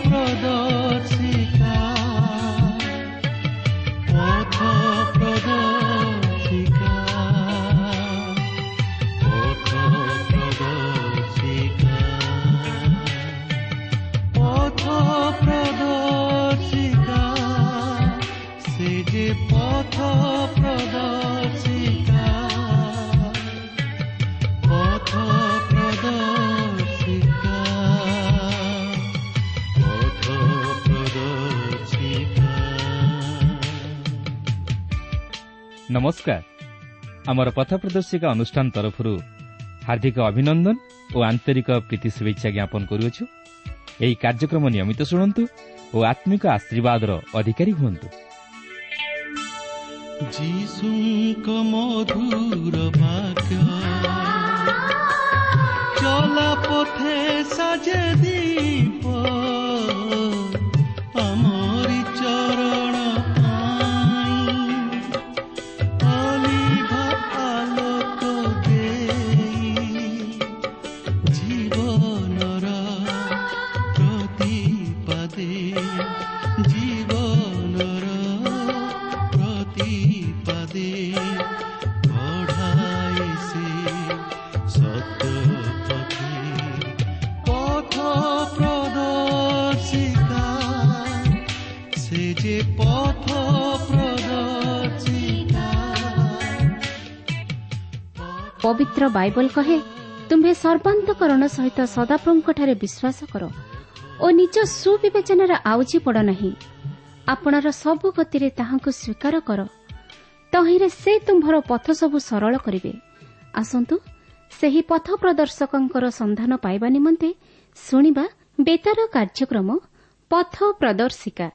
ପ୍ରଦର୍ଶିକା, ପଥ ପ୍ରଦର୍ଶିକା, ପଥ ପ୍ରଦର୍ଶିକା, ପଥ ପ୍ରଦର୍ଶିକା, ସେ ଯେ ପଥ ପ୍ରଦର୍ଶିକା, ପଥ ପ୍ରଦର୍ଶିକା, ପଥ ପ୍ରଦର୍ଶିକା। ନମସ୍କାର। ଆମର ପଥ ପ୍ରଦର୍ଶିକା ଅନୁଷ୍ଠାନ ତରଫରୁ ହାର୍ଦ୍ଦିକ ଅଭିନନ୍ଦନ ଓ ଆନ୍ତରିକ ପ୍ରୀତି ଶୁଭେଚ୍ଛା ଜ୍ଞାପନ କରୁଅଛୁ। ଏହି କାର୍ଯ୍ୟକ୍ରମ ନିୟମିତ ଶୁଣନ୍ତୁ ଓ ଆତ୍ମିକ ଆଶୀର୍ବାଦର ଅଧିକାରୀ ହୁଅନ୍ତୁ। ଯୀଶୁଙ୍କ ମଧୁର ବାକ୍ୟ ଚଲା ପଥେ ସାଜେ ଦୀପ, ଆମରି ଚରଣ ପାଇଁ ଅଲିଭା ଆଲୋକ ଦେଇ, ଜୀବନର ପ୍ରତିପାଦେ, ଜୀବନର ପ୍ରତିପାଦେ କଢ଼ାଏ ସେ ସତ୍ୟ ପଥେ। ପଥ ପ୍ରଦର୍ଶିକା, ସେ ଯେ ପଥ ପ୍ରଦର୍ଶିକା। ପବିତ୍ର ବାଇବଲ କହେ, ତୁମ୍ଭେ ସର୍ବାନ୍ତକରଣ ସହିତ ସଦାପ୍ରଭୁଙ୍କଠାରେ ବିଶ୍ୱାସ କର ଓ ନିଜ ସୁବିବେଚନାରେ ଆଉଜି ପଡ଼ ନାହିଁ। ଆପଣାର ସବୁ ଗତିରେ ତାହାଙ୍କୁ ସ୍ୱୀକାର କର, ତହିଁରେ ସେ ତୁମ୍ଭର ପଥ ସବୁ ସରଳ କରିବେ। ଆସନ୍ତୁ ସେହି ପଥ ପ୍ରଦର୍ଶକଙ୍କର ସନ୍ଧାନ ପାଇବା ନିମନ୍ତେ ଶୁଣିବା ବେତାର କାର୍ଯ୍ୟକ୍ରମ ପଥ ପ୍ରଦର୍ଶିକା।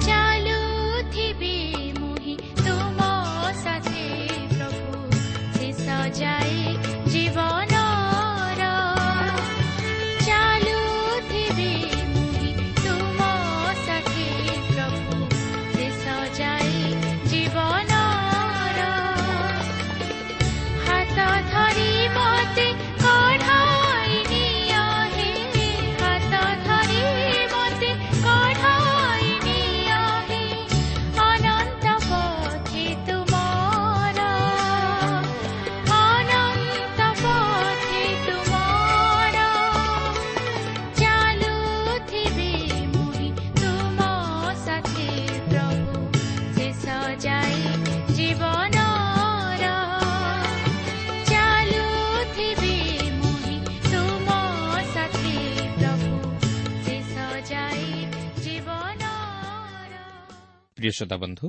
ଚାଲୁଥିବି ମୁହିଁ ତୁମ ସାଥେ ପ୍ରଭୁ, ଶେଷ ଯାଏ ଜୀବନର। ଚାଲୁଥିବି ମୁହିଁ ତୁମ ସାଥେ ପ୍ରଭୁ, ଶେଷ ଯାଏ ଜୀବନର। ହାତ ଧରି ମତେ କଢ଼ାଇ ନିଅ ହେ, ହାତ ଧରି ମତେ କଢ଼ାଇ ନିଅ ହେ, ଅନନ୍ତ ପଥେ ତୁମର, ଅନନ୍ତ ପଥେ ତୁମର। ଚାଲୁଥିବି ମୁହିଁ ତୁମ ସାଥେ ପ୍ରଭୁ, ଶେଷ ଯାଏ ଜୀବନର। ଚାଲୁଥିବି ମୁହିଁ ତୁମ ସାଥେ ପ୍ରଭୁ, ଶେଷ ଯାଏ ଜୀବନର। ପ୍ରିୟ ଶ୍ରୋତା ବନ୍ଧୁ,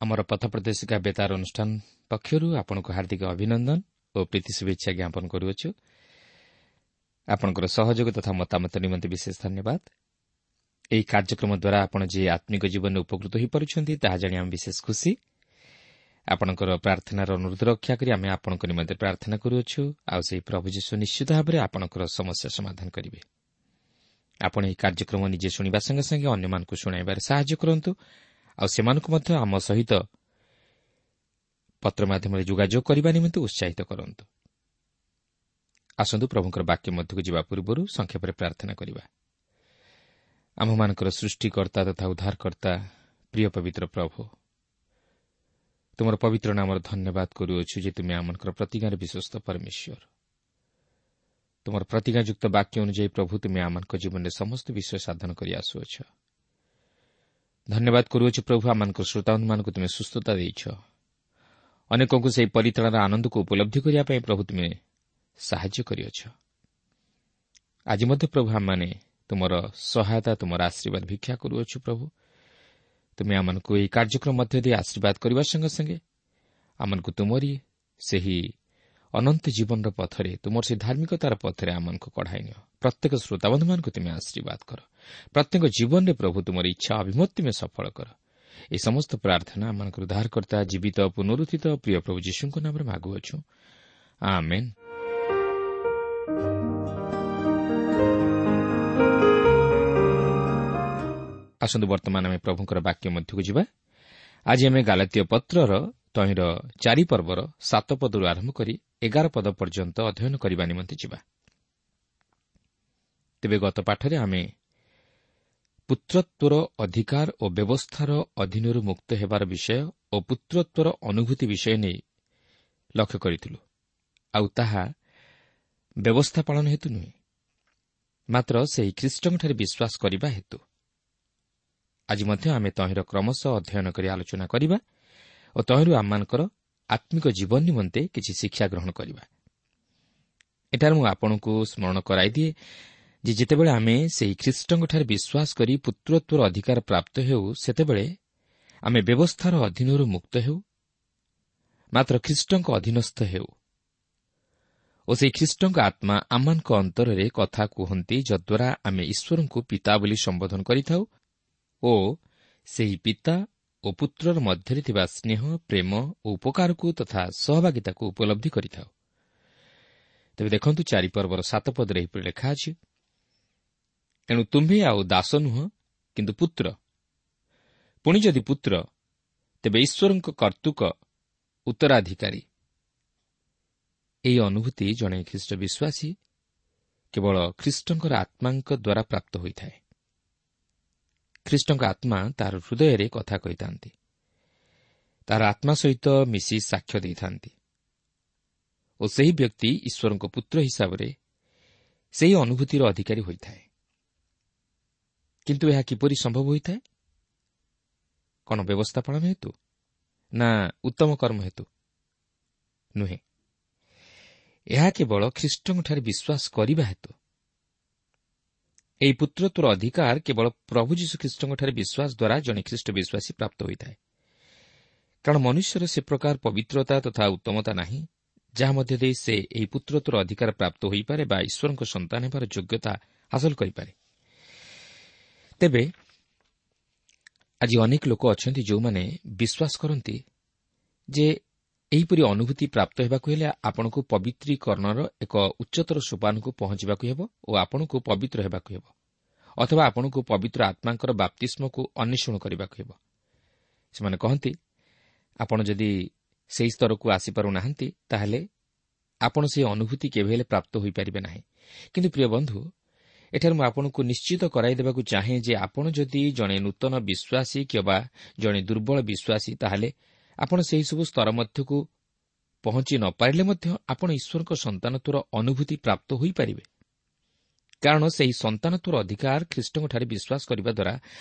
ଆମର ପଥ ପ୍ରଦର୍ଶିକା ବେତାର ଅନୁଷ୍ଠାନ ପକ୍ଷରୁ ଆପଣଙ୍କୁ ହାର୍ଦ୍ଦିକ ଅଭିନନ୍ଦନ ଓ ପ୍ରୀତି ଶୁଭେଚ୍ଛା ଜ୍ଞାପନ କରୁଅଛୁ। ଆପଣଙ୍କର ସହଯୋଗ ତଥା ମତାମତ ନିମନ୍ତେ ବିଶେଷ ଧନ୍ୟବାଦ। ଏହି କାର୍ଯ୍ୟକ୍ରମ ଦ୍ୱାରା ଆପଣ ଯେ ଆତ୍ମିକ ଜୀବନରେ ଉପକୃତ ହୋଇପାରୁଛନ୍ତି, ତାହା ଜାଣି ଆମେ ବିଶେଷ ଖୁସି। ଆପଣଙ୍କର ପ୍ରାର୍ଥନାର ଅନୁରୋଧ ରକ୍ଷା କରି ଆମେ ଆପଣଙ୍କ ନିମନ୍ତେ ପ୍ରାର୍ଥନା କରୁଅଛୁ, ଆଉ ସେହି ପ୍ରଭୁ ଯୀଶୁ ନିଶ୍ଚିତ ଭାବରେ ଆପଣଙ୍କର ସମସ୍ୟା ସମାଧାନ କରିବେ। ଆପଣ ଏହି କାର୍ଯ୍ୟକ୍ରମ ନିଜେ ଶୁଣିବା ସଙ୍ଗେ ସଙ୍ଗେ ଅନ୍ୟମାନଙ୍କୁ ଶୁଣାଇବାରେ ସାହାଯ୍ୟ କରନ୍ତୁ, ଆଉ ସେମାନଙ୍କୁ ମଧ୍ୟ ଆମ ସହିତ ପତ୍ର ମାଧ୍ୟମରେ ଯୋଗାଯୋଗ କରିବା ନିମନ୍ତେ ଉତ୍ସାହିତ କରନ୍ତୁ। ଆସନ୍ତୁ ପ୍ରଭୁଙ୍କର ବାକ୍ୟ ମଧ୍ୟକୁ ଯିବା ପୂର୍ବରୁ ସଂକ୍ଷେପରେ ପ୍ରାର୍ଥନା କରିବା। ଆମ୍ଭମାନଙ୍କର ସୃଷ୍ଟିକର୍ତ୍ତା ତଥା ଉଦ୍ଧାରକର୍ତ୍ତା ପ୍ରିୟ ପବିତ୍ର ପ୍ରଭୁ, ତୁମର ପବିତ୍ର ନାମର ଧନ୍ୟବାଦ କରୁଅଛୁ ଯେ ତୁମେ ଆମମାନଙ୍କର ପ୍ରତିଜ୍ଞାରେ ବିଶ୍ୱସ୍ତ ପରମେଶ୍ୱର। ତୁମର ପ୍ରତିଜ୍ଞାଯୁକ୍ତ ବାକ୍ୟ ଅନୁଯାୟୀ ପ୍ରଭୁ, ତୁମେ ଆମମାନଙ୍କ ଜୀବନରେ ସମସ୍ତ ବିଷୟ ସାଧନ କରି ଆସୁଅଛ। ଧନ୍ୟବାଦ କରୁଅଛୁ ପ୍ରଭୁ, ଆମମାନଙ୍କ ଶ୍ରୋତାବନ୍ଧୁମାନଙ୍କୁ ତୁମେ ସୁସ୍ଥତା ଦେଇଛ। ଅନେକଙ୍କୁ ସେହି ପରିତ୍ରାଣର ଆନନ୍ଦକୁ ଉପଲବ୍ଧି କରିବା ପାଇଁ ପ୍ରଭୁ ତୁମେ ସାହାଯ୍ୟ କରିଅଛ। ଆଜି ମଧ୍ୟ ପ୍ରଭୁ ଆମମାନେ ତୁମର ସହାୟତା, ତୁମର ଆଶୀର୍ବାଦ ଭିକ୍ଷା କରୁଅଛୁ। ପ୍ରଭୁ, ତୁମେ ଆମମାନଙ୍କୁ ଏହି କାର୍ଯ୍ୟକ୍ରମ ମଧ୍ୟ ଦେଇ ଆଶୀର୍ବାଦ କରିବା ସଙ୍ଗେ ସଙ୍ଗେ ଆମମାନଙ୍କୁ ତୁମରି ସେହି ଅନନ୍ତ ଜୀବନର ପଥରେ, ତୁମର ସେହି ଧାର୍ମିକତାର ପଥରେ ଆମମାନଙ୍କୁ କଢ଼ାଇ ନିଅ। ପ୍ରତ୍ୟେକ ଶ୍ରୋତାବନ୍ଧୁମାନଙ୍କୁ ତୁମେ ଆଶୀର୍ବାଦ କର। ପ୍ରତ୍ୟେକ ଜୀବନରେ ପ୍ରଭୁ ତୁମର ଇଚ୍ଛା ଅଭିମତ ତୁମେ ସଫଳ କର। ଏ ସମସ୍ତ ପ୍ରାର୍ଥନା ଆମମାନଙ୍କର ଉଦ୍ଧାରକର୍ତ୍ତା ଜୀବିତ ପୁନରୁତ୍ଥିତ ପ୍ରିୟ ପ୍ରଭୁ ଯୀଶୁଙ୍କ ନାମରେ ମାଗୁଅଛୁ, ଆମେନ୍। ଆସନ୍ତୁ ବର୍ତ୍ତମାନ ଆମେ ପ୍ରଭୁଙ୍କର ବାକ୍ୟ ମଧ୍ୟକୁ ଯିବା। ଆଜି ଆମେ ଗାଲାତୀୟ ପତ୍ରର ତହିଁର 4 ପର୍ବର 7 ପଦରୁ ଆରମ୍ଭ କରି 11 ପଦ ପର୍ଯ୍ୟନ୍ତ ଅଧ୍ୟୟନ କରିବା ନିମନ୍ତେ ଯିବା। ତେବେ ଗତ ପାଠରେ ଆମେ ପୁତ୍ରତ୍ୱର ଅଧିକାର ଓ ବ୍ୟବସ୍ଥାର ଅଧୀନରୁ ମୁକ୍ତ ହେବାର ବିଷୟ ଓ ପୁତ୍ରତ୍ୱର ଅନୁଭୂତି ବିଷୟ ନେଇ ଲକ୍ଷ୍ୟ କରିଥିଲୁ। ଆଉ ତାହା ବ୍ୟବସ୍ଥା ପାଳନ ହେତୁ ନୁହେଁ, ମାତ୍ର ସେହି ଖ୍ରୀଷ୍ଟଙ୍କଠାରେ ବିଶ୍ୱାସ କରିବା ହେତୁ। ଆଜି ମଧ୍ୟ ଆମେ ତହିଁର କ୍ରମଶଃ ଅଧ୍ୟୟନ କରି ଆଲୋଚନା କରିବା ଓ ତହିଁରୁ ଆମମାନଙ୍କର ଆତ୍ମିକ ଜୀବନ ନିମନ୍ତେ କିଛି ଶିକ୍ଷା ଗ୍ରହଣ କରିବା। ଏଠାରେ ମୁଁ ଆପଣଙ୍କୁ ସ୍ମରଣ କରାଇଦିଏ ଯେ ଯେତେବେଳେ ଆମେ ସେହି ଖ୍ରୀଷ୍ଟଙ୍କଠାରେ ବିଶ୍ୱାସ କରି ପୁତ୍ରତ୍ୱର ଅଧିକାର ପ୍ରାପ୍ତ ହେଉ, ସେତେବେଳେ ଆମେ ବ୍ୟବସ୍ଥାର ଅଧୀନରୁ ମୁକ୍ତ ହେଉ, ମାତ୍ର ଖ୍ରୀଷ୍ଟଙ୍କ ଅଧୀନସ୍ଥ ହେଉ ଓ ସେହି ଖ୍ରୀଷ୍ଟଙ୍କ ଆତ୍ମା ଆମମାନଙ୍କ ଅନ୍ତରରେ କଥା କୁହନ୍ତି, ଯଦ୍ୱାରା ଆମେ ଈଶ୍ୱରଙ୍କୁ ପିତା ବୋଲି ସମ୍ବୋଧନ କରିଥାଉ ଓ ସେହି ପିତା ଓ ପୁତ୍ରର ମଧ୍ୟରେ ଥିବା ସ୍ନେହ, ପ୍ରେମ ଓ ଉପକାରକୁ ତଥା ସହଭାଗିତାକୁ ଉପଲବ୍ଧି କରିଥାଉ। ତେବେ ଦେଖନ୍ତୁ 4 ପର୍ବର 7 ପଦରେ ଏହିପରି ଲେଖା ଅଛି, ଏଣୁ ତୁମ୍ଭେ ଆଉ ଦାସ ନୁହଁ, କିନ୍ତୁ ପୁତ୍ର। ପୁଣି ଯଦି ପୁତ୍ର, ତେବେ ଈଶ୍ୱରଙ୍କ କର୍ତ୍ତୃକ ଉତ୍ତରାଧିକାରୀ। ଏହି ଅନୁଭୂତି ଜଣେ ଖ୍ରୀଷ୍ଟ ବିଶ୍ୱାସୀ କେବଳ ଖ୍ରୀଷ୍ଟଙ୍କର ଆତ୍ମାଙ୍କ ଦ୍ୱାରା ପ୍ରାପ୍ତ ହୋଇଥାଏ। ଖ୍ରୀଷ୍ଟଙ୍କ ଆତ୍ମା ତାହାର ହୃଦୟରେ କଥା କହିଥାନ୍ତି, ତାହାର ଆତ୍ମା ସହିତ ମିଶି ସାକ୍ଷ୍ୟ ଦେଇଥାନ୍ତି ଓ ସେହି ବ୍ୟକ୍ତି ଈଶ୍ୱରଙ୍କ ପୁତ୍ର ହିସାବରେ ସେହି ଅନୁଭୂତିର ଅଧିକାରୀ ହୋଇଥାଏ। କିନ୍ତୁ ଏହା କିପରି ସମ୍ଭବ ହୋଇଥାଏ? କ'ଣ ବ୍ୟବସ୍ଥା ପାଳନ ହେତୁ ନା ଉତ୍ତମ କର୍ମ ହେତୁ? ନୁହେଁ, ଏହା କେବଳ ଖ୍ରୀଷ୍ଟଙ୍କଠାରେ ବିଶ୍ୱାସ କରିବା ହେତୁ। ଏହି ପୁତ୍ରତ୍ୱର ଅଧିକାର କେବଳ ପ୍ରଭୁ ଯୀଶୁଖ୍ରୀଷ୍ଟଙ୍କଠାରେ ବିଶ୍ୱାସ ଦ୍ୱାରା ଜଣେ ଖ୍ରୀଷ୍ଟ ବିଶ୍ୱାସୀ ପ୍ରାପ୍ତ ହୋଇଥାଏ। କାରଣ ମନୁଷ୍ୟର ସେ ପ୍ରକାର ପବିତ୍ରତା ତଥା ଉତ୍ତମତା ନାହିଁ ଯାହା ମଧ୍ୟ ଦେଇ ସେ ଏହି ପୁତ୍ରତ୍ୱର ଅଧିକାର ପ୍ରାପ୍ତ ହୋଇପାରେ ବା ଈଶ୍ୱରଙ୍କ ସନ୍ତାନ ହେବାର ଯୋଗ୍ୟତା ହାସଲ କରିପାରେ। ତେବେ ଆଜି ଅନେକ ଲୋକ ଅଛନ୍ତି ଯେଉଁମାନେ ବିଶ୍ୱାସ କରନ୍ତି ଯେ ଏହିପରି ଅନୁଭୂତି ପ୍ରାପ୍ତ ହେବାକୁ ହେଲେ ଆପଣଙ୍କୁ ପବିତ୍ରୀକରଣର ଏକ ଉଚ୍ଚତର ସୋପାନକୁ ପହଞ୍ଚିବାକୁ ହେବ ଓ ଆପଣଙ୍କୁ ପବିତ୍ର ହେବାକୁ ହେବ, ଅଥବା ଆପଣଙ୍କୁ ପବିତ୍ର ଆତ୍ମାଙ୍କର ବାପ୍ତିସ୍ମକୁ ଅନ୍ୱେଷଣ କରିବାକୁ ହେବ। ସେମାନେ କହନ୍ତି, ଆପଣ ଯଦି ସେହି ସ୍ତରକୁ ଆସିପାରୁନାହାନ୍ତି ତାହେଲେ ଆପଣ ସେହି ଅନୁଭୂତି କେବେ ହେଲେ ପ୍ରାପ୍ତ ହୋଇପାରିବେ ନାହିଁ। କିନ୍ତୁ ପ୍ରିୟ ବନ୍ଧୁ, ଏଠାରେ ମୁଁ ଆପଣଙ୍କୁ ନିଶ୍ଚିତ କରାଇଦେବାକୁ ଚାହେଁ ଯେ ଆପଣ ଯଦି ଜଣେ ନୂତନ ବିଶ୍ୱାସୀ କିମ୍ବା ଜଣେ ଦୁର୍ବଳ ବିଶ୍ୱାସୀ, ତାହେଲେ ଆପଣ ସେହିସବୁ ସ୍ତର ମଧ୍ୟକୁ ପହଞ୍ଚି ନ ପାରିଲେ ମଧ୍ୟ ଆପଣ ଈଶ୍ୱରଙ୍କ ସନ୍ତାନତ୍ୱର ଅନୁଭୂତି ପ୍ରାପ୍ତ ହୋଇପାରିବେ। କାରଣ ସେହି ସନ୍ତାନତ୍ୱର ଅଧିକାର ଖ୍ରୀଷ୍ଟଙ୍କଠାରେ ବିଶ୍ୱାସ କରିବା ଦ୍ୱାରା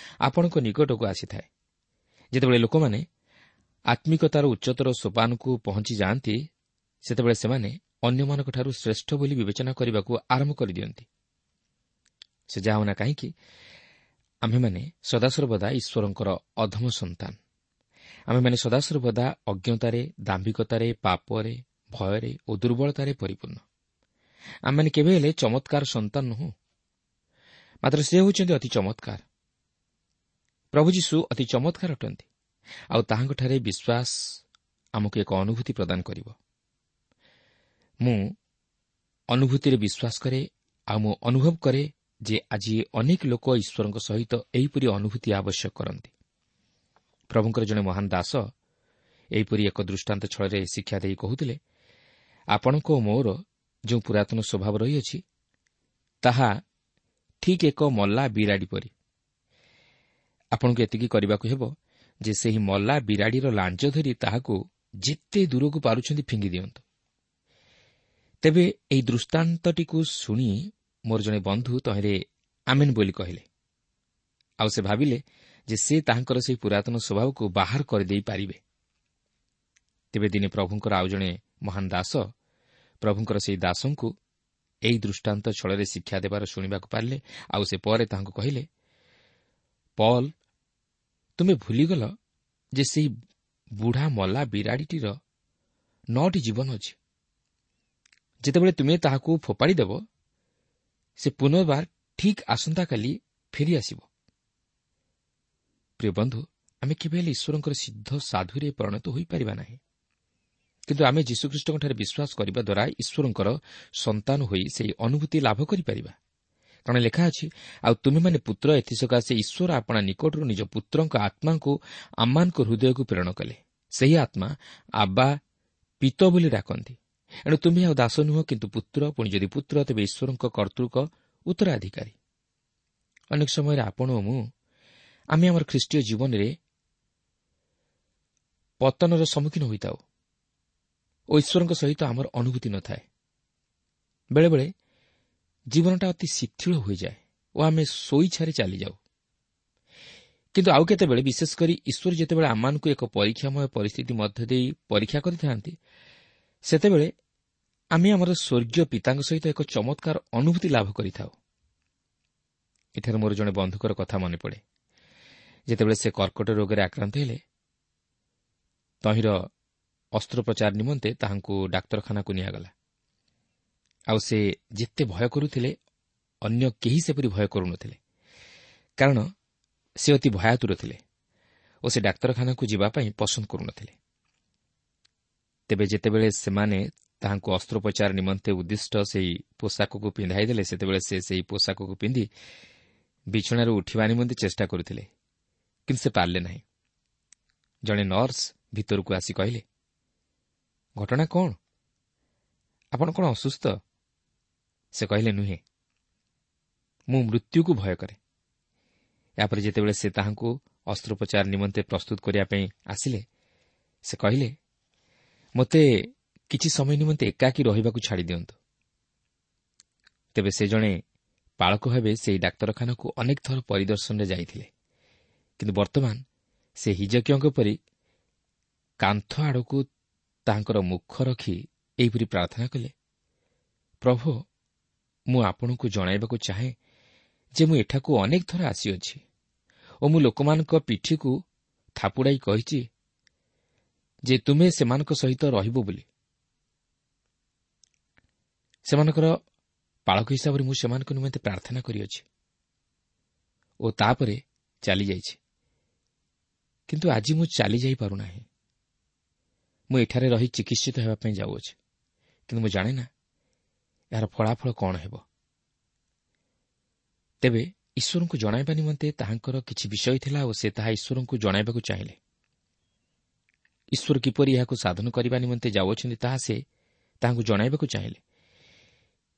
ଆପଣଙ୍କ ନିକଟକୁ ଆସିଥାଏ। ଯେତେବେଳେ ଲୋକମାନେ ଆତ୍ମିକତାର ଉଚ୍ଚତର ସୋପାନକୁ ପହଞ୍ଚି ଯାଆନ୍ତି, ସେତେବେଳେ ସେମାନେ ଅନ୍ୟମାନଙ୍କଠାରୁ ଶ୍ରେଷ୍ଠ ବୋଲି ବିବେଚନା କରିବାକୁ ଆରମ୍ଭ କରିଦିଅନ୍ତି। ସେ ଯାହା ହେଉନା କାହିଁକି, ଆମ୍ଭେମାନେ ସଦାସର୍ବଦା ଈଶ୍ୱରଙ୍କର ଅଧମ ସନ୍ତାନ। ଆମ୍ଭେମାନେ ସଦାସର୍ବଦା ଅଜ୍ଞତାରେ, ଦାମ୍ଭିକତାରେ, ପାପରେ, ଭୟରେ ଓ ଦୁର୍ବଳତାରେ ପରିପୂର୍ଣ୍ଣ। ଆମେମାନେ କେବେ ହେଲେ ଚମତ୍କାର ସନ୍ତାନ ନୁହଁ, ମାତ୍ର ସେ ହେଉଛନ୍ତି ଅତି ଚମତ୍କାର। ପ୍ରଭୁ ଯୀଶୁ ଅତି ଚମତ୍କାର ଅଟନ୍ତି, ଆଉ ତାହାଙ୍କଠାରେ ବିଶ୍ୱାସ ଆମକୁ ଏକ ଅନୁଭୂତି ପ୍ରଦାନ କରିବ। ମୁଁ ଅନୁଭୂତିରେ ବିଶ୍ୱାସ କରେ, ଆଉ ମୁଁ ଅନୁଭବ କରେ ଯେ ଆଜି ଅନେକ ଲୋକ ଈଶ୍ୱରଙ୍କ ସହିତ ଏହିପରି ଅନୁଭୂତି ଆବଶ୍ୟକ କରନ୍ତି। ପ୍ରଭୁଙ୍କର ଜଣେ ମହାନ ଦାସ ଏହିପରି ଏକ ଦୃଷ୍ଟାନ୍ତ ଛଳରେ ଶିକ୍ଷା ଦେଇ କହୁଥିଲେ, ଆପଣଙ୍କ ଓ ମୋର ଯେଉଁ ପୁରାତନ ସ୍ୱଭାବ ରହିଅଛି ତାହା ଠିକ୍ ଏକ ମଲା ବିରାଡ଼ି ପରି। ଆପଣଙ୍କୁ ଏତିକି କରିବାକୁ ହେବ ଯେ ସେହି ମଲା ବିରାଡ଼ିର ଲାଞ୍ଜ ଧରି ତାହାକୁ ଯେତେ ଦୂରକୁ ପାରୁଛନ୍ତି ଫିଙ୍ଗି ଦିଅନ୍ତୁ। ତେବେ ଏହି ଦୃଷ୍ଟାନ୍ତଟିକୁ ଶୁଣି ମୋର ଜଣେ ବନ୍ଧୁ ତହିଁରେ ଆମେନ୍ ବୋଲି କହିଲେ, ଆଉ ସେ ଭାବିଲେ ଯେ ସେ ତାହାଙ୍କର ସେହି ପୁରାତନ ସ୍ୱଭାବକୁ ବାହାର କରିଦେଇପାରିବେ। ତେବେ ଦିନେ ପ୍ରଭୁଙ୍କର ଆଉ ଜଣେ ମହାନ ଦାସ ପ୍ରଭୁଙ୍କର ସେହି ଦାସଙ୍କୁ ଏହି ଦୃଷ୍ଟାନ୍ତ ଛଳରେ ଶିକ୍ଷା ଦେବାର ଶୁଣିବାକୁ ପାରିଲେ, ଆଉ ସେ ପରେ ତାହାଙ୍କୁ କହିଲେ, ପଲ୍, ତୁମେ ଭୁଲିଗଲ ଯେ ସେହି ବୁଢ଼ା ମଲା ବିରାଡ଼ିଟିର 9ଟି ଜୀବନ ଅଛି। ଯେତେବେଳେ ତୁମେ ତାହାକୁ ଫୋପାଡ଼ି ଦେବ, ସେ ପୁନର୍ବାର ଠିକ୍ ଆସନ୍ତାକାଲି ଫେରିଆସିବ। ପ୍ରିୟ ବନ୍ଧୁ, ଆମେ କେବେ ହେଲେ ଈଶ୍ୱରଙ୍କର ସିଦ୍ଧ ସାଧୁରେ ପରିଣତ ହୋଇପାରିବା ନାହିଁ। କିନ୍ତୁ ଆମେ ଯୀଶୁଖ୍ରୀଷ୍ଟଙ୍କଠାରେ ବିଶ୍ୱାସ କରିବା ଦ୍ୱାରା ଈଶ୍ୱରଙ୍କର ସନ୍ତାନ ହୋଇ ସେହି ଅନୁଭୂତି ଲାଭ କରିପାରିବା। କାରଣ ଲେଖା ଅଛି, ଆଉ ତୁମେମାନେ ପୁତ୍ର, ଏଥିସକାଶେ ଈଶ୍ୱର ଆପଣା ନିକଟରୁ ନିଜ ପୁତ୍ରଙ୍କ ଆତ୍ମାଙ୍କୁ ଆମମାନଙ୍କ ହୃଦୟକୁ ପ୍ରେରଣ କଲେ। ସେହି ଆତ୍ମା ଆବା ପିତ ବୋଲି ଡାକନ୍ତି। ଏଣୁ ତୁମେ ଆଉ ଦାସ ନୁହଁ, କିନ୍ତୁ ପୁତ୍ର, ପୁଣି ଯଦି ପୁତ୍ର ତେବେ ଈଶ୍ୱରଙ୍କ କର୍ତ୍ତୃକ ଉତ୍ତରାଧିକାରୀ। ଅନେକ ସମୟରେ ଆପଣ ଓ ମୁଁ ଆମେ ଆମର ଖ୍ରୀଷ୍ଟୀୟ ଜୀବନରେ ପତନର ସମ୍ମୁଖୀନ ହୋଇଥାଉ ଓ ଈଶ୍ୱରଙ୍କ ସହିତ ଆମର ଅନୁଭୂତି ନଥାଏ। ବେଳେବେଳେ ଜୀବନଟା ଅତି ଶିଥିଳ ହୋଇଯାଏ ଓ ଆମେ ସ୍ୱଇଚ୍ଛାରେ ଚାଲିଯାଉ। କିନ୍ତୁ ଆଉ କେତେବେଳେ, ବିଶେଷ କରି ଈଶ୍ୱର ଯେତେବେଳେ ଆମମାନଙ୍କୁ ଏକ ପରୀକ୍ଷାମୟ ପରିସ୍ଥିତି ମଧ୍ୟ ଦେଇ ପରୀକ୍ଷା କରିଥାନ୍ତି, ସେତେବେଳେ ଆମେ ଆମର ସ୍ୱର୍ଗୀୟ ପିତାଙ୍କ ସହିତ ଏକ ଚମତ୍କାର ଅନୁଭୂତି ଲାଭ କରିଥାଉ। ଏଠାରେ ମୋର ଜଣେ ବନ୍ଧୁଙ୍କର କଥା ମନେପଡ଼େ। ଯେତେବେଳେ ସେ କର୍କଟ ରୋଗରେ ଆକ୍ରାନ୍ତ ହେଲେ, ତହିଁର ଅସ୍ତ୍ରୋପଚାର ନିମନ୍ତେ ତାହାଙ୍କୁ ଡାକ୍ତରଖାନାକୁ ନିଆଗଲା। ଆଉ ସେ ଯେତେ ଭୟ କରୁଥିଲେ, ଅନ୍ୟ କେହି ସେପରି ଭୟ କରୁନଥିଲେ, କାରଣ ସେ ଅତି ଭୟାତୁର ଥିଲେ ଓ ସେ ଡାକ୍ତରଖାନାକୁ ଯିବା ପାଇଁ ପସନ୍ଦ କରୁନଥିଲେ। ତେବେ ଯେତେବେଳେ ସେମାନେ ତାହାଙ୍କୁ ଅସ୍ତ୍ରୋପଚାର ନିମନ୍ତେ ଉଦ୍ଦିଷ୍ଟ ସେହି ପୋଷାକକୁ ପିନ୍ଧାଇ ଦେଲେ, ସେତେବେଳେ ସେ ସେହି ପୋଷାକକୁ ପିନ୍ଧି ବିଛଣାରୁ ଉଠିବା ନିମନ୍ତେ ଚେଷ୍ଟା କରୁଥିଲେ, କିନ୍ତୁ ସେ ପାରିଲେ ନାହିଁ। ଜଣେ ନର୍ସ ଭିତରକୁ ଆସି କହିଲେ, ଘଟଣା କ'ଣ? ଆପଣ କ'ଣ ଅସୁସ୍ଥ? ସେ କହିଲେ, ନୁହେଁ, ମୁଁ ମୃତ୍ୟୁକୁ ଭୟ କରେ। ଏହାପରେ ଯେତେବେଳେ ସେ ତାହାଙ୍କୁ ଅସ୍ତ୍ରୋପଚାର ନିମନ୍ତେ ପ୍ରସ୍ତୁତ କରିବା ପାଇଁ ଆସିଲେ, ସେ କହିଲେ, ମୋତେ କିଛି ସମୟ ନିମନ୍ତେ ଏକାକୀ ରହିବାକୁ ଛାଡ଼ି ଦିଅନ୍ତୁ। ତେବେ ସେ ଜଣେ ପାଳକ ଭାବେ ସେହି ଡାକ୍ତରଖାନାକୁ ଅନେକ ଥର ପରିଦର୍ଶନରେ ଯାଇଥିଲେ, କିନ୍ତୁ ବର୍ତ୍ତମାନ ସେ ହିଜକିୟଙ୍କ ପରି କାନ୍ଥ ଆଡ଼କୁ ତାହାଙ୍କର ମୁଖ ରଖି ଏହିପରି ପ୍ରାର୍ଥନା କଲେ, ପ୍ରଭୁ, ମୁଁ ଆପଣଙ୍କୁ ଜଣାଇବାକୁ ଚାହେଁ ଯେ ମୁଁ ଏଠାକୁ ଅନେକ ଥର ଆସିଅଛି ଓ ମୁଁ ଲୋକମାନଙ୍କ ପିଠିକୁ ଥାପୁଡ଼ାଇ କହିଛି ଯେ ତୁମେ ସେମାନଙ୍କ ସହିତ ରହିବ ବୋଲି। ସେମାନଙ୍କର ପାଳକ ହିସାବରେ ମୁଁ ସେମାନଙ୍କ ନିମନ୍ତେ ପ୍ରାର୍ଥନା କରିଅଛି ଓ ତାପରେ ଚାଲିଯାଇଛି, କିନ୍ତୁ ଆଜି ମୁଁ ଚାଲିଯାଇପାରୁନାହିଁ। ମୁଁ ଏଠାରେ ରହି ଚିକିତ୍ସିତ ହେବା ପାଇଁ ଯାଉଅଛି, କିନ୍ତୁ ମୁଁ ଜାଣେ ନା ଏହାର ଫଳାଫଳ କ'ଣ ହେବ। ତେବେ ଈଶ୍ୱରଙ୍କୁ ଜଣାଇବା ନିମନ୍ତେ ତାହାଙ୍କର କିଛି ବିଷୟ ଥିଲା ଓ ସେ ତାହା ଈଶ୍ୱରଙ୍କୁ ଜଣାଇବାକୁ ଚାହିଁଲେ। ଈଶ୍ୱର କିପରି ଏହାକୁ ସାଧନ କରିବା ନିମନ୍ତେ ଯାଉଅଛନ୍ତି ତାହା ସେ ତାହାଙ୍କୁ ଜଣାଇବାକୁ ଚାହିଁଲେ,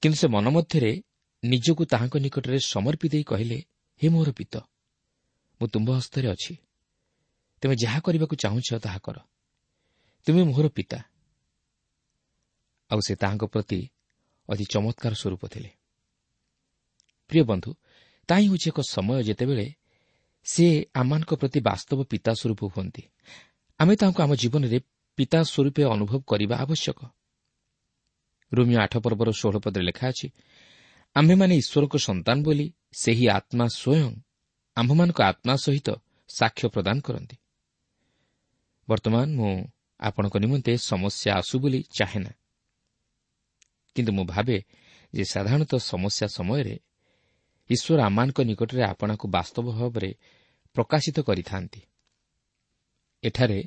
କିନ୍ତୁ ସେ ମନ ମଧ୍ୟରେ ନିଜକୁ ତାହାଙ୍କ ନିକଟରେ ସମର୍ପି ଦେଇ କହିଲେ, ହେ ମୋର ପିତ, ମୁଁ ତୁମ୍ଭ ହସ୍ତରେ ଅଛି, ତୁମେ ଯାହା କରିବାକୁ ଚାହୁଁଛ ତାହା କର, ତୁମେ ମୋହର ପିତା। ଆଉ ସେ ତାହାଙ୍କ ପ୍ରତି ଅତି ଚମତ୍କାର ସ୍ୱରୂପ ଥିଲେ। ପ୍ରିୟ ବନ୍ଧୁ, ତାହା ହିଁ ହେଉଛି ଏକ ସମୟ ଯେତେବେଳେ ସେ ଆମମାନଙ୍କ ପ୍ରତି ବାସ୍ତବ ପିତା ସ୍ୱରୂପ ହୁଅନ୍ତି। ଆମେ ତାହାଙ୍କୁ ଆମ ଜୀବନରେ ପିତା ସ୍ୱରୂପେ ଅନୁଭବ କରିବା ଆବଶ୍ୟକ। ରୋମୀୟ 8 ପର୍ବର 16 ପଦରେ ଲେଖା ଅଛି, ଆମ୍ଭେମାନେ ଈଶ୍ୱରଙ୍କ ସନ୍ତାନ ବୋଲି ସେହି ଆତ୍ମା ସ୍ୱୟଂ ଆମ୍ଭମାନଙ୍କ ଆତ୍ମା ସହିତ ସାକ୍ଷ୍ୟ ପ୍ରଦାନ କରନ୍ତି। ବର୍ତ୍ତମାନ ମୁଁ ଆପଣଙ୍କ ନିମନ୍ତେ ସମସ୍ୟା ଆସୁ ବୋଲି ଚାହେଁ ନା, କିନ୍ତୁ ମୁଁ ଭାବେ ଯେ ସାଧାରଣତଃ ସମସ୍ୟା ସମୟରେ ଈଶ୍ୱର ଆମମାନଙ୍କ ନିକଟରେ ଆପଣଙ୍କୁ ବାସ୍ତବ ଭାବରେ ପ୍ରକାଶିତ କରିଥାନ୍ତି। ଏଠାରେ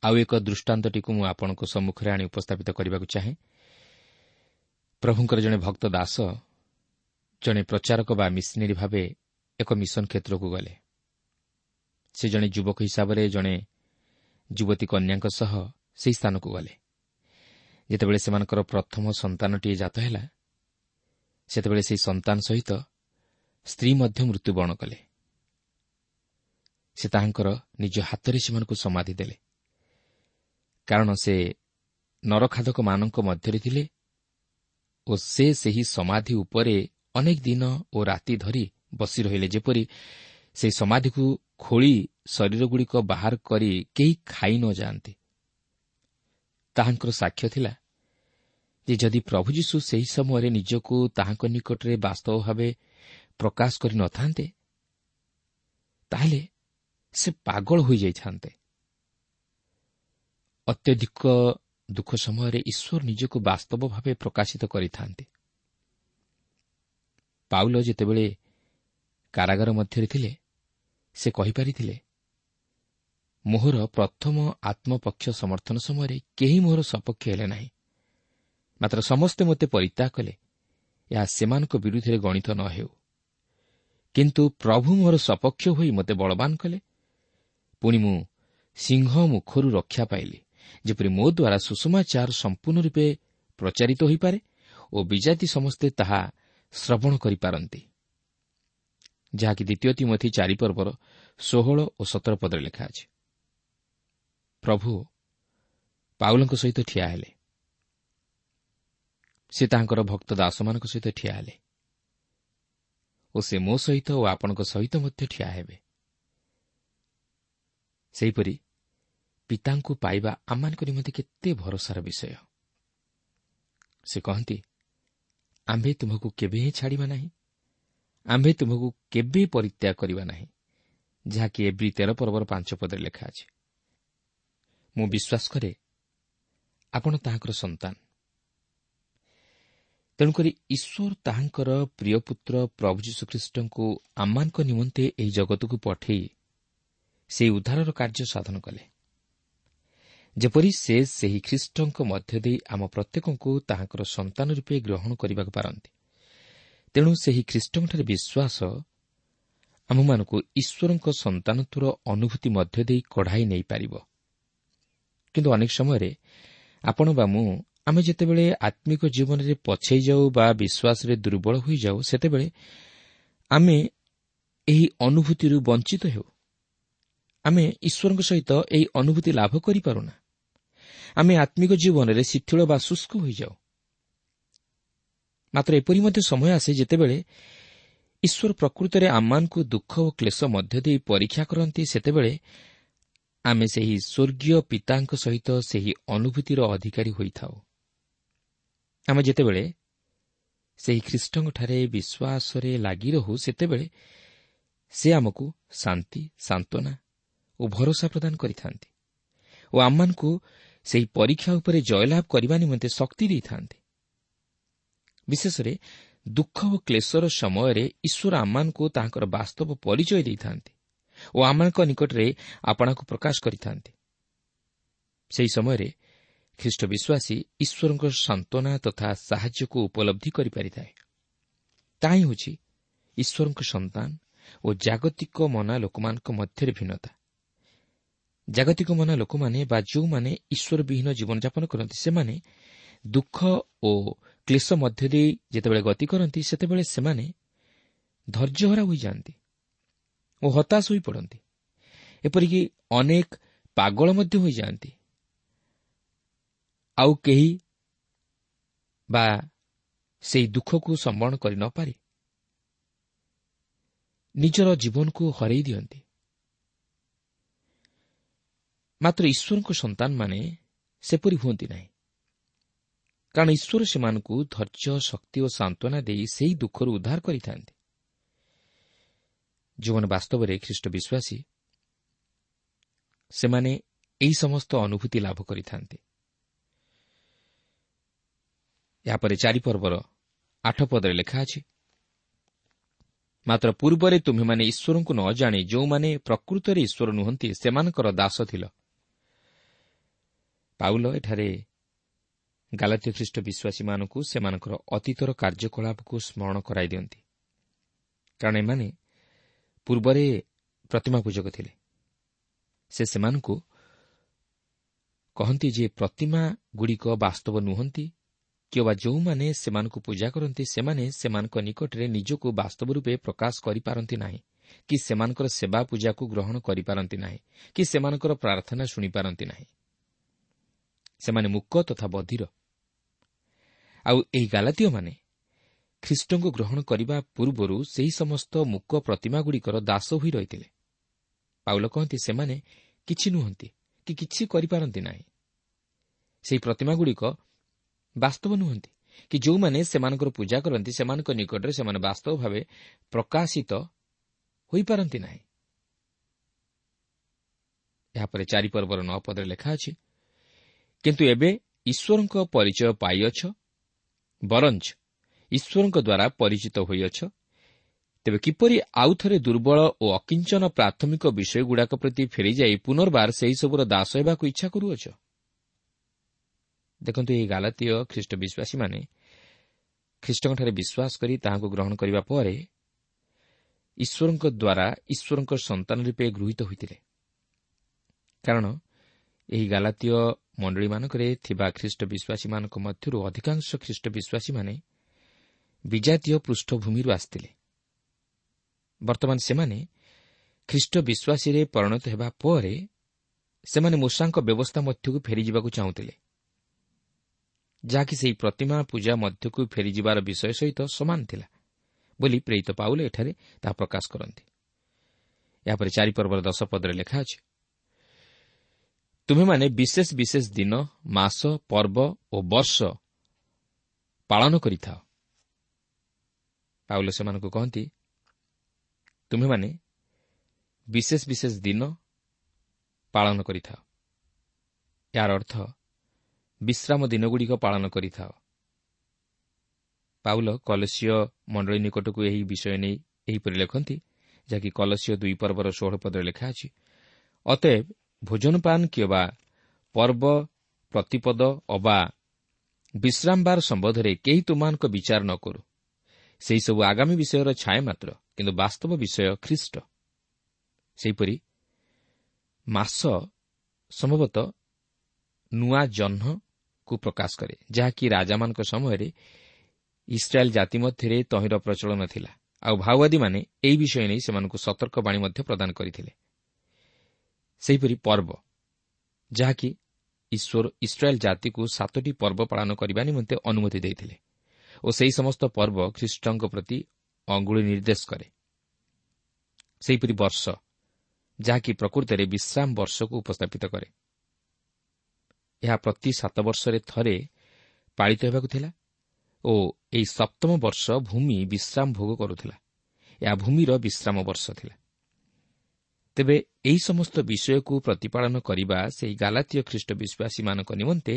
ଆଉ ଏକ ଦୃଷ୍ଟାନ୍ତଟିକୁ ମୁଁ ଆପଣଙ୍କ ସମ୍ମୁଖରେ ଆଣି ଉପସ୍ଥାପିତ କରିବାକୁ ଚାହେଁ। ପ୍ରଭୁଙ୍କର ଜଣେ ଭକ୍ତ ଦାସ ଜଣେ ପ୍ରଚାରକ ବା ମିଶନେରୀ ଭାବେ ଏକ ମିଶନ କ୍ଷେତ୍ରକୁ ଗଲେ। ସେ ଜଣେ ଯୁବକ ହିସାବରେ ଜଣେ ଯୁବତୀ କନ୍ୟାଙ୍କ ସହ ସେହି ସ୍ଥାନକୁ ଗଲେ। ଯେତେବେଳେ ସେମାନଙ୍କର ପ୍ରଥମ ସନ୍ତାନଟିଏ ଜାତ ହେଲା, ସେତେବେଳେ ସେହି ସନ୍ତାନ ସହିତ ସ୍ତ୍ରୀ ମଧ୍ୟ ମୃତ୍ୟୁବରଣ କଲେ। ସେ ତାହାଙ୍କର ନିଜ ହାତରେ ସେମାନଙ୍କୁ ସମାଧି ଦେଲେ, କାରଣ ସେ ନରଖାଦକମାନଙ୍କ ମଧ୍ୟରେ ଥିଲେ ଓ ସେ ସେହି ସମାଧି ଉପରେ ଅନେକ ଦିନ ଓ ରାତି ଧରି ବସି ରହିଲେ, ଯେପରି ସେହି ସମାଧିକୁ ଖୋଳି ଶରୀରଗୁଡ଼ିକ ବାହାର କରି କେହି ଖାଇ ନ ଯାଆନ୍ତି। ତାହାଙ୍କର ସାକ୍ଷ୍ୟ ଥିଲା ଯେ ଯଦି ପ୍ରଭୁ ଯୀଶୁ ସେହି ସମୟରେ ନିଜକୁ ତାହାଙ୍କ ନିକଟରେ ବାସ୍ତବ ଭାବେ ପ୍ରକାଶ କରିନଥାନ୍ତେ, ତାହେଲେ ସେ ପାଗଳ ହୋଇଯାଇଥାନ୍ତେ। ଅତ୍ୟଧିକ ଦୁଃଖ ସମୟରେ ଈଶ୍ୱର ନିଜକୁ ବାସ୍ତବ ଭାବେ ପ୍ରକାଶିତ କରିଥାନ୍ତି। ପାଉଲ ଯେତେବେଳେ କାରାଗାର ମଧ୍ୟରେ ଥିଲେ, ସେ କହିପାରିଥିଲେ, ମୋହର ପ୍ରଥମ ଆତ୍ମପକ୍ଷ ସମର୍ଥନ ସମୟରେ କେହି ମୋହର ସପକ୍ଷ ହେଲେ ନାହିଁ, ମାତ୍ର ସମସ୍ତେ ମୋତେ ପରିତ୍ୟାଗ କଲେ। ଏହା ସେମାନଙ୍କ ବିରୁଦ୍ଧରେ ଗଣିତ ନ ହେଉ, କିନ୍ତୁ ପ୍ରଭୁ ମୋହର ସପକ୍ଷ ହୋଇ ମୋତେ ବଳବାନ କଲେ। ପୁଣି ମୁଁ ସିଂହ ମୁଖରୁ ରକ୍ଷା ପାଇଲି, ଯେପରି ମୋ ଦ୍ୱାରା ସୁଷମାଚାର ସମ୍ପୂର୍ଣ୍ଣ ରୂପେ ପ୍ରଚାରିତ ହୋଇପାରେ ଓ ବିଜାତି ସମସ୍ତେ ତାହା ଶ୍ରବଣ କରିପାରନ୍ତି, ଯାହାକି ଦ୍ୱିତୀୟ ତୀମଥି 4 ପର୍ବର 16 ଓ 17 ପଦରେ ଲେଖା ଅଛି। ପ୍ରଭୁ ପାଉଲଙ୍କ ସହିତ ଠିଆ ହେଲେ, ସେ ତାଙ୍କର ଭକ୍ତ ଦାସମାନଙ୍କ ସହିତ ଠିଆ ହେଲେ ଓ ସେ ମୋ ସହିତ ଓ ଆପଣଙ୍କ ସହିତ ମଧ୍ୟ ଠିଆ ହେବେ। ସେହିପରି ପିତାଙ୍କୁ ପାଇବା ଆମମାନଙ୍କ ନିମନ୍ତେ କେତେ ଭରସାର ବିଷୟ। ସେ କହନ୍ତି, ଆମ୍ଭେ ତୁମକୁ କେବେ ହିଁ ଛାଡ଼ିବା ନାହିଁ, ଆମ୍ଭେ ତୁମକୁ କେବେ ପରିତ୍ୟାଗ କରିବା ନାହିଁ, ଯାହାକି ଏବ୍ରୀ 13 ପର୍ବର 5 ପଦରେ ଲେଖା ଅଛି। ମୁଁ ବିଶ୍ୱାସ କରେ ଆପଣ ତାହାଙ୍କର ସନ୍ତାନ। ତେଣୁକରି ଈଶ୍ୱର ତାହାଙ୍କର ପ୍ରିୟ ପୁତ୍ର ପ୍ରଭୁ ଯୀଶୁଖ୍ରୀଷ୍ଟଙ୍କୁ ଆମମାନଙ୍କ ନିମନ୍ତେ ଏହି ଜଗତକୁ ପଠେଇ ସେହି ଉଦ୍ଧାରର କାର୍ଯ୍ୟ ସାଧନ କଲେ, ଯେପରି ସେ ସେହି ଖ୍ରୀଷ୍ଟଙ୍କ ମଧ୍ୟ ଦେଇ ଆମ ପ୍ରତ୍ୟେକଙ୍କୁ ତାହାଙ୍କର ସନ୍ତାନ ରୂପେ ଗ୍ରହଣ କରିବାକୁ ପାରନ୍ତି। ତେଣୁ ସେହି ଖ୍ରୀଷ୍ଟଙ୍କଠାରେ ବିଶ୍ୱାସ ଆମମାନଙ୍କୁ ଈଶ୍ୱରଙ୍କ ସନ୍ତାନତ୍ୱର ଅନୁଭୂତି ମଧ୍ୟ ଦେଇ କଢ଼ାଇ ନେଇପାରିବ। କିନ୍ତୁ ଅନେକ ସମୟରେ ଆପଣ ବା ମୁଁ ଆମେ ଯେତେବେଳେ ଆତ୍ମିକ ଜୀବନରେ ପଛେଇ ଯାଉ ବା ବିଶ୍ୱାସରେ ଦୁର୍ବଳ ହୋଇଯାଉ, ସେତେବେଳେ ଆମେ ଏହି ଅନୁଭୂତିରୁ ବଞ୍ଚିତ ହେଉ। ଆମେ ଈଶ୍ୱରଙ୍କ ସହିତ ଏହି ଅନୁଭୂତି ଲାଭ କରିପାରୁନା। ଆମେ ଆତ୍ମିକ ଜୀବନରେ ଶିଥିଳ ବା ଶୁଷ୍କ ହୋଇଯାଉ। ମାତ୍ର ଏପରି ମଧ୍ୟ ସମୟ ଆସେ ଯେତେବେଳେ ଈଶ୍ୱର ପ୍ରକୃତରେ ଆମମାନଙ୍କୁ ଦୁଃଖ ଓ କ୍ଲେଶ ମଧ୍ୟ ଦେଇ ପରୀକ୍ଷା କରନ୍ତି। ସେତେବେଳେ ଆମେ ସେହି ସ୍ୱର୍ଗୀୟ ପିତାଙ୍କ ସହିତ ସେହି ଅନୁଭୂତିର ଅଧିକାରୀ ହୋଇଥାଉ। ଆମେ ଯେତେବେଳେ ସେହି ଖ୍ରୀଷ୍ଟଙ୍କଠାରେ ବିଶ୍ୱାସରେ ଲାଗି ରହୁ, ସେତେବେଳେ ସେ ଆମକୁ ଶାନ୍ତି, ସାନ୍ତ୍ୱନା ଓ ଭରସା ପ୍ରଦାନ କରିଥାନ୍ତି ଓ ଆମମାନଙ୍କୁ ସେହି ପରୀକ୍ଷା ଉପରେ ଜୟଲାଭ କରିବା ନିମନ୍ତେ ଶକ୍ତି ଦେଇଥାନ୍ତି। ବିଶେଷରେ ଦୁଃଖ ଓ କ୍ଲେଶର ସମୟରେ ଈଶ୍ୱର ଆମମାନଙ୍କୁ ତାହାଙ୍କର ବାସ୍ତବ ପରିଚୟ ଦେଇଥାନ୍ତି ଓ ଆମମାନଙ୍କ ନିକଟରେ ଆପଣାକୁ ପ୍ରକାଶ କରିଥାନ୍ତି। ସେହି ସମୟରେ ଖ୍ରୀଷ୍ଟ ବିଶ୍ୱାସୀ ଈଶ୍ୱରଙ୍କ ସାନ୍ତ୍ୱନା ତଥା ସାହାଯ୍ୟକୁ ଉପଲବ୍ଧି କରିପାରିଥାଏ। ତାହା ହିଁ ହେଉଛି ଈଶ୍ୱରଙ୍କ ସନ୍ତାନ ଓ ଜାଗତିକ ମନା ଲୋକମାନଙ୍କ ମଧ୍ୟରେ ଭିନ୍ନତା। ଜାଗତିକ ମନା ଲୋକମାନେ ବା ଯେଉଁମାନେ ଈଶ୍ୱରବିହୀନ ଜୀବନଯାପନ କରନ୍ତି, ସେମାନେ ଦୁଃଖ ଓ କ୍ଲେଶ ମଧ୍ୟ ଦେଇ ଯେତେବେଳେ ଗତି କରନ୍ତି, ସେତେବେଳେ ସେମାନେ ଧୈର୍ଯ୍ୟହରା ହୋଇଯାଆନ୍ତି ଓ ହତାଶ ହୋଇପଡ଼ନ୍ତି। ଏପରିକି ଅନେକ ପାଗଳ ମଧ୍ୟ ହୋଇଯାଆନ୍ତି। ଆଉ କେହି ବା ସେହି ଦୁଃଖକୁ ସମ୍ବରଣ କରି ନପାରି ନିଜର ଜୀବନକୁ ହରାଇ ଦିଅନ୍ତି। ମାତ୍ର ଈଶ୍ୱରଙ୍କ ସନ୍ତାନମାନେ ସେପରି ହୁଅନ୍ତି ନାହିଁ, କାରଣ ଈଶ୍ୱର ସେମାନଙ୍କୁ ଧୈର୍ଯ୍ୟ, ଶକ୍ତି ଓ ସାନ୍ତ୍ୱନା ଦେଇ ସେହି ଦୁଃଖରୁ ଉଦ୍ଧାର କରିଥାନ୍ତି। ଯେଉଁମାନେ ବାସ୍ତବରେ ଖ୍ରୀଷ୍ଟ ବିଶ୍ୱାସୀ, ସେମାନେ ଏହି ସମସ୍ତ ଅନୁଭୂତି ଲାଭ କରିଥାନ୍ତି। ଏହାପରେ 4 ପର୍ବର 8 ପଦରେ ଲେଖା ଅଛି, ମାତ୍ର ପୂର୍ବରେ ତୁମ୍ଭେମାନେ ଈଶ୍ୱରଙ୍କୁ ନ ଜାଣି ଯେଉଁମାନେ ପ୍ରକୃତରେ ଈଶ୍ୱର ନୁହନ୍ତି ସେମାନଙ୍କର ଦାସ ଥିଲ। ପାଉଲ ଏଠାରେ ଗାଲାତୀୟ ଖ୍ରୀଷ୍ଟ ବିଶ୍ୱାସୀମାନଙ୍କୁ ସେମାନଙ୍କର ଅତୀତର କାର୍ଯ୍ୟକଳାପକୁ ସ୍ମରଣ କରାଇ ଦିଅନ୍ତି, କାରଣ ଏମାନେ ପୂର୍ବରେ ପ୍ରତିମା ପୂଜକ ଥିଲେ। ସେ ସେମାନଙ୍କୁ କହନ୍ତି ଯେ ପ୍ରତିମାଗୁଡ଼ିକ ବାସ୍ତବ ନୁହନ୍ତି, କିମ୍ବା ଯେଉଁମାନେ ସେମାନଙ୍କୁ ପୂଜା କରନ୍ତି ସେମାନେ ସେମାନଙ୍କ ନିକଟରେ ନିଜକୁ ବାସ୍ତବ ରୂପେ ପ୍ରକାଶ କରିପାରନ୍ତି ନାହିଁ, କି ସେମାନଙ୍କର ସେବା ପୂଜାକୁ ଗ୍ରହଣ କରିପାରନ୍ତି ନାହିଁ, କି ସେମାନଙ୍କର ପ୍ରାର୍ଥନା ଶୁଣିପାରନ୍ତି ନାହିଁ। ସେମାନେ ମୂକ ତଥା ବଧିର। ଆଉ ଏହି ଗାଲାତୀୟମାନେ ଖ୍ରୀଷ୍ଟଙ୍କୁ ଗ୍ରହଣ କରିବା ପୂର୍ବରୁ ସେହି ସମସ୍ତ ମୂକ ପ୍ରତିମାଗୁଡ଼ିକର ଦାସ ହୋଇ ରହିଥିଲେ। ପାଉଲ କହନ୍ତି ସେମାନେ କିଛି ନୁହନ୍ତି କି କିଛି କରିପାରନ୍ତି ନାହିଁ। ସେହି ପ୍ରତିମାଗୁଡ଼ିକ ବାସ୍ତବ ନୁହନ୍ତି କି ଯେଉଁମାନେ ସେମାନଙ୍କର ପୂଜା କରନ୍ତି ସେମାନଙ୍କ ନିକଟରେ ସେମାନେ ବାସ୍ତବ ଭାବେ ପ୍ରକାଶିତ ହୋଇପାରନ୍ତି ନାହିଁ। ଏହାପରେ 4 ପର୍ବର 9 ପଦରେ ଲେଖା ଅଛି, କିନ୍ତୁ ଏବେ ଈଶ୍ୱରଙ୍କ ପରିଚୟ ପାଇଅଛ, ବରଞ୍ଚ ଈଶ୍ୱରଙ୍କ ଦ୍ୱାରା ପରିଚିତ ହୋଇଅଛ, ତେବେ କିପରି ଆଉ ଥରେ ଦୁର୍ବଳ ଓ ଅକିଞ୍ଚନ ପ୍ରାଥମିକ ବିଷୟଗୁଡ଼ାକ ପ୍ରତି ଫେରିଯାଇ ପୁନର୍ବାର ସେହିସବୁର ଦାସ ହେବାକୁ ଇଚ୍ଛା କରୁଅଛ? ଦେଖନ୍ତୁ, ଏହି ଗାଲାତୀୟ ଖ୍ରୀଷ୍ଟ ବିଶ୍ୱାସୀମାନେ ଖ୍ରୀଷ୍ଟଙ୍କଠାରେ ବିଶ୍ୱାସ କରି ତାହାଙ୍କୁ ଗ୍ରହଣ କରିବା ପରେ ଈଶ୍ୱରଙ୍କ ଦ୍ୱାରା ଈଶ୍ୱରଙ୍କ ସନ୍ତାନ ରୂପେ ଗୃହୀତ ହୋଇଥିଲେ। କାରଣ ଏହି ଗାଲାତୀୟ ମଣ୍ଡଳୀମାନଙ୍କରେ ଥିବା ଖ୍ରୀଷ୍ଟ ବିଶ୍ୱାସୀମାନଙ୍କ ମଧ୍ୟରୁ ଅଧିକାଂଶ ଖ୍ରୀଷ୍ଟ ବିଶ୍ୱାସୀମାନେ ବିଜାତୀୟ ପୃଷ୍ଠଭୂମିରୁ ଆସିଥିଲେ। ବର୍ତ୍ତମାନ ସେମାନେ ଖ୍ରୀଷ୍ଟ ବିଶ୍ୱାସୀରେ ପରିଣତ ହେବା ପରେ ସେମାନେ ମୂଷାଙ୍କ ବ୍ୟବସ୍ଥା ମଧ୍ୟକୁ ଫେରିଯିବାକୁ ଚାହୁଁଥିଲେ, ଯାହାକି ସେହି ପ୍ରତିମା ପୂଜା ମଧ୍ୟକୁ ଫେରିଯିବାର ବିଷୟ ସହିତ ସମାନ ଥିଲା ବୋଲି ପ୍ରେରିତ ପାଉଲ ଏଠାରେ ତାହା ପ୍ରକାଶ କରନ୍ତି। ଏହାପରେ 4 ପର୍ବର 10 ପଦରେ ଲେଖା ଅଛି, ତୁମେମାନେ ବିଶେଷ ବିଶେଷ ଦିନ, ମାସ, ପର୍ବ ଓ ବର୍ଷ ପାଳନ କରିଥାଅ। ପାଉଲ ସେମାନଙ୍କୁ କହନ୍ତି, ତୁମେମାନେ ବିଶେଷ ବିଶେଷ ଦିନ ପାଳନ କରିଥାଅ। ଏହାର ଅର୍ଥ ବିଶ୍ରାମ ଦିନଗୁଡ଼ିକ ପାଳନ କରିଥାଅ। ପାଉଲ କଲସୀୟ ମଣ୍ଡଳୀ ନିକଟକୁ ଏହି ବିଷୟ ନେଇ ଏହିପରି ଲେଖନ୍ତି, ଯାହାକି କଲସୀୟ 2 ପର୍ବର 16 ପଦରେ ଲେଖା ଅଛି, ଅତଏବ ଭୋଜନପାନ କିମ୍ବା ପର୍ବ ପ୍ରତିପଦ ଅବା ବିଶ୍ରାମବାର ସମ୍ବନ୍ଧରେ କେହି ତୁମମାନଙ୍କ ବିଚାର ନ କରୁ। ସେହିସବୁ ଆଗାମୀ ବିଷୟର ଛାୟା ମାତ୍ର, କିନ୍ତୁ ବାସ୍ତବ ବିଷୟ ଖ୍ରୀଷ୍ଟ। ସେହିପରି ମାସ ସମ୍ଭବତଃ ନୂଆ ଜହ୍ନକୁ ପ୍ରକାଶ କରେ, ଯାହାକି ରାଜାମାନଙ୍କ ସମୟରେ ଇସ୍ରାଏଲ୍ ଜାତି ମଧ୍ୟରେ ତହିଁର ପ୍ରଚଳନ ଥିଲା। ଆଉ ଭାଓବାଦୀମାନେ ଏହି ବିଷୟ ନେଇ ସେମାନଙ୍କୁ ସତର୍କବାଣୀ ମଧ୍ୟ ପ୍ରଦାନ କରିଥିଲେ। ସେହିପରି ପର୍ବ, ଯାହାକି ଈଶ୍ୱର ଇସ୍ରାଏଲ୍ ଜାତିକୁ 7ଟି ପର୍ବ ପାଳନ କରିବା ନିମନ୍ତେ ଅନୁମତି ଦେଇଥିଲେ ଓ ସେହି ସମସ୍ତ ପର୍ବ ଖ୍ରୀଷ୍ଟଙ୍କ ପ୍ରତି ଅଙ୍ଗୁଳି ନିର୍ଦ୍ଦେଶ କରେ। ସେହିପରି ବର୍ଷ, ଯାହାକି ପ୍ରକୃତରେ ବିଶ୍ରାମ ବର୍ଷକୁ ଉପସ୍ଥାପିତ କରେ। ଏହା ପ୍ରତି 7 ବର୍ଷରେ ଥରେ ପାଳିତ ହେବାକୁ ଥିଲା ଓ ଏହି 7ମ ବର୍ଷ ଭୂମି ବିଶ୍ରାମ ଭୋଗ କରୁଥିଲା। ଏହା ଭୂମିର ବିଶ୍ରାମ ବର୍ଷ ଥିଲା। ତେବେ ଏହି ସମସ୍ତ ବିଷୟକୁ ପ୍ରତିପାଳନ କରିବା ସେହି ଗାଲାତୀୟ ଖ୍ରୀଷ୍ଟ ବିଶ୍ୱାସୀମାନଙ୍କ ନିମନ୍ତେ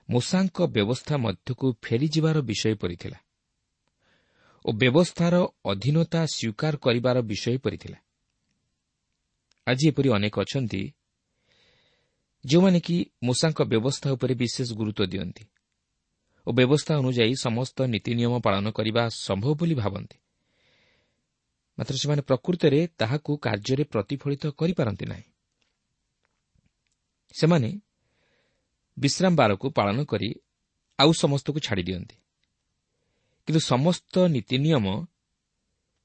ମୋଶାଙ୍କ ବ୍ୟବସ୍ଥା ମଧ୍ୟକୁ ଫେରିଯିବାର ବିଷୟ ପରି ଥିଲା ଓ ବ୍ୟବସ୍ଥାର ଅଧୀନତା ସ୍ୱୀକାର କରିବାର ବିଷୟ ପରି ଥିଲା। ଆଜି ଏପରି ଅନେକ ଅଛନ୍ତି ଯେଉଁମାନେ କି ମୋଶାଙ୍କ ବ୍ୟବସ୍ଥା ଉପରେ ବିଶେଷ ଗୁରୁତ୍ୱ ଦିଅନ୍ତି ଓ ବ୍ୟବସ୍ଥା ଅନୁଯାୟୀ ସମସ୍ତ ନୀତି ନିୟମ ପାଳନ କରିବା ସମ୍ଭବ ବୋଲି ଭାବନ୍ତି, ମାତ୍ର ସେମାନେ ପ୍ରକୃତରେ ତାହାକୁ କାର୍ଯ୍ୟରେ ପ୍ରତିଫଳିତ କରିପାରନ୍ତି ନାହିଁ। ସେମାନେ ବିଶ୍ରାମବାରକୁ ପାଳନ କରି ଆଉ ସମସ୍ତକୁ ଛାଡ଼ିଦିଅନ୍ତି, କିନ୍ତୁ ସମସ୍ତ ନୀତି ନିୟମ